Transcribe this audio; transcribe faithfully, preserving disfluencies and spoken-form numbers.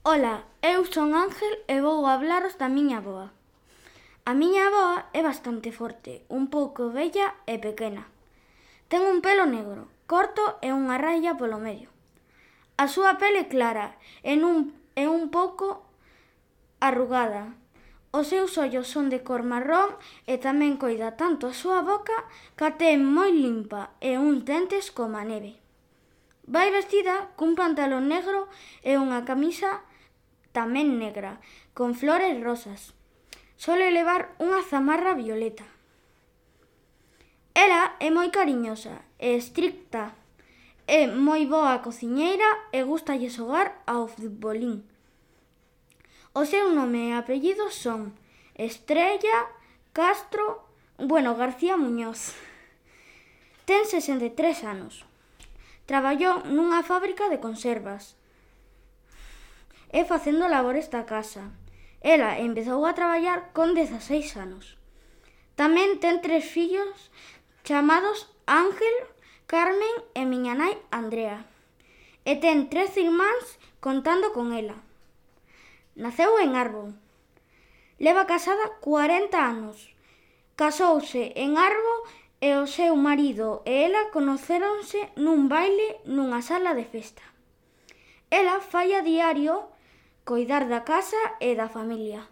Ola, eu son Ángel e vou hablaros da miña avoa. A miña avoa é bastante forte, un pouco vella e pequena. Ten un pelo negro, corto e unha raia polo medio. A súa pele é clara e un, é un pouco arrugada. Os seus ollos son de cor marrón e tamén coida tanto a súa boca que a ten moi limpa e uns dentes como a neve. Vai vestida cun pantalón negro e unha camisa tamén negra, con flores rosas. Sole levar unha zamarra violeta. Ela é moi cariñosa e estricta. É moi boa cociñeira e gústalle xogar ao futbolín. O seu nome e apellido son Estrella Castro, bueno, García Muñoz. Ten sesenta e tres anos. Traballou nunha fábrica de conservas e facendo labores da casa. Ela empezou a traballar con dezaseis anos. Tamén ten tres fillos chamados Ángel, Carmen e miña nai Andrea. E ten tres irmáns contando con ela. Naceu en Arbo. Leva casada cuarenta anos. Casouse en Arbo e o seu marido e ela conocéronse nun baile nunha sala de festa. Ela fai a diario coidar da casa e da familia.